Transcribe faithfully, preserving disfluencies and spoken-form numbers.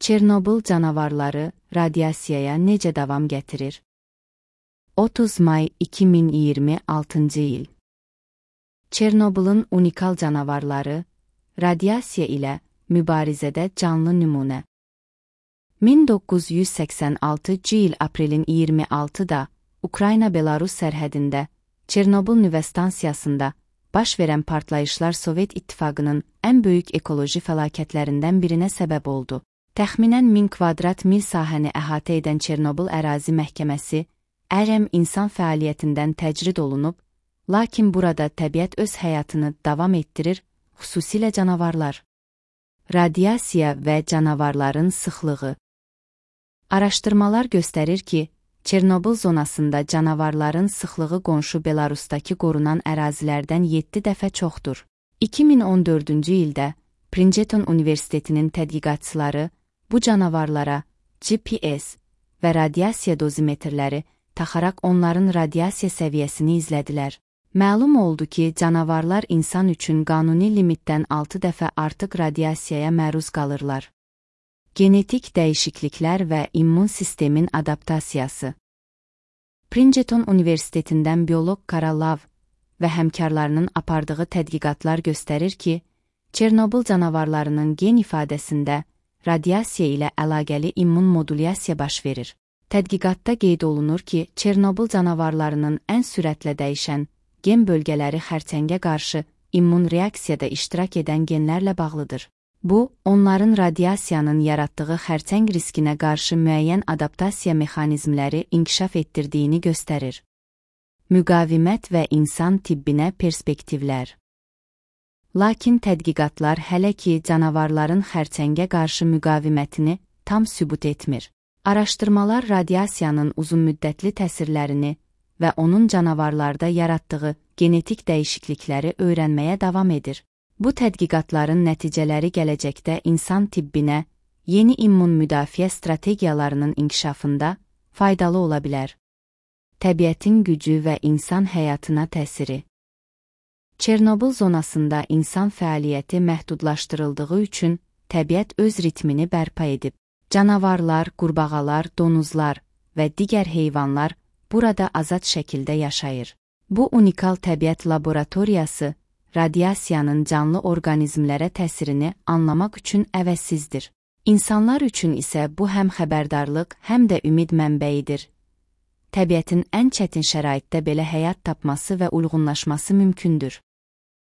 Çernobıl canavarları radiasiyaya necə davam gətirir? otuz may iki min iyirmi altıncı il. Çernobılın unikal canavarları radiasiya ilə mübarizədə canlı nümunə. min doqquz yüz səksən altıncı il aprelin iyirmi altıda Ukrayna-Belarus sərhədində Çernobıl nüvə stansiyasında baş verən partlayışlar Sovet İttifaqının ən böyük ekoloji fəlakətlərindən birinə səbəb oldu. Təxminən min kvadrat mil sahəni əhatə edən Çernobıl ərazi məhkəməsi ərəm insan fəaliyyətindən təcrid olunub, lakin burada təbiət öz həyatını davam etdirir, xüsusilə canavarlar. Radiasiya və canavarların sıxlığı. Araşdırmalar göstərir ki, Çernobıl zonasında canavarların sıxlığı qonşu Belarusdakı qorunan ərazilərdən yeddi dəfə çoxdur. iki min on dördüncü ildə Princeton Universitetinin tədqiqatçıları bu canavarlara G P S və radiasiya dozimetrləri taxaraq onların radiasiya səviyyəsini izlədilər. Məlum oldu ki, canavarlar insan üçün qanuni limitdən altı dəfə artıq radiasiyaya məruz qalırlar. Genetik dəyişikliklər və immun sistemin adaptasiyası. Princeton Universitetindən bioloq Kara Lav və həmkarlarının apardığı tədqiqatlar göstərir ki, Çernobıl canavarlarının gen ifadəsində radiasiya ilə əlaqəli immun modulyasiya baş verir. Tədqiqatda qeyd olunur ki, Çernobıl canavarlarının ən sürətlə dəyişən gen bölgələri xərçəngə qarşı immun reaksiyada iştirak edən genlərlə bağlıdır. Bu, onların radiasiyanın yaratdığı xərçəng riskinə qarşı müəyyən adaptasiya mexanizmləri inkişaf etdirdiyini göstərir. Müqavimət və insan tibbinə perspektivlər. Lakin tədqiqatlar hələ ki canavarların xərçəngə qarşı müqavimətini tam sübut etmir. Araşdırmalar radiasiyanın uzunmüddətli təsirlərini və onun canavarlarda yaratdığı genetik dəyişiklikləri öyrənməyə davam edir. Bu tədqiqatların nəticələri gələcəkdə insan tibbinə, yeni immun müdafiə strategiyalarının inkişafında faydalı ola bilər. Təbiətin gücü və insan həyatına təsiri. Çernobıl zonasında insan fəaliyyəti məhdudlaşdırıldığı üçün təbiət öz ritmini bərpa edib. Canavarlar, qurbağalar, donuzlar və digər heyvanlar burada azad şəkildə yaşayır. Bu unikal təbiət laboratoriyası radiasiyanın canlı orqanizmlərə təsirini anlamaq üçün əvəzsizdir. İnsanlar üçün isə bu həm xəbərdarlıq, həm də ümid mənbəyidir. Təbiətin ən çətin şəraitdə belə həyat tapması və uyğunlaşması mümkündür.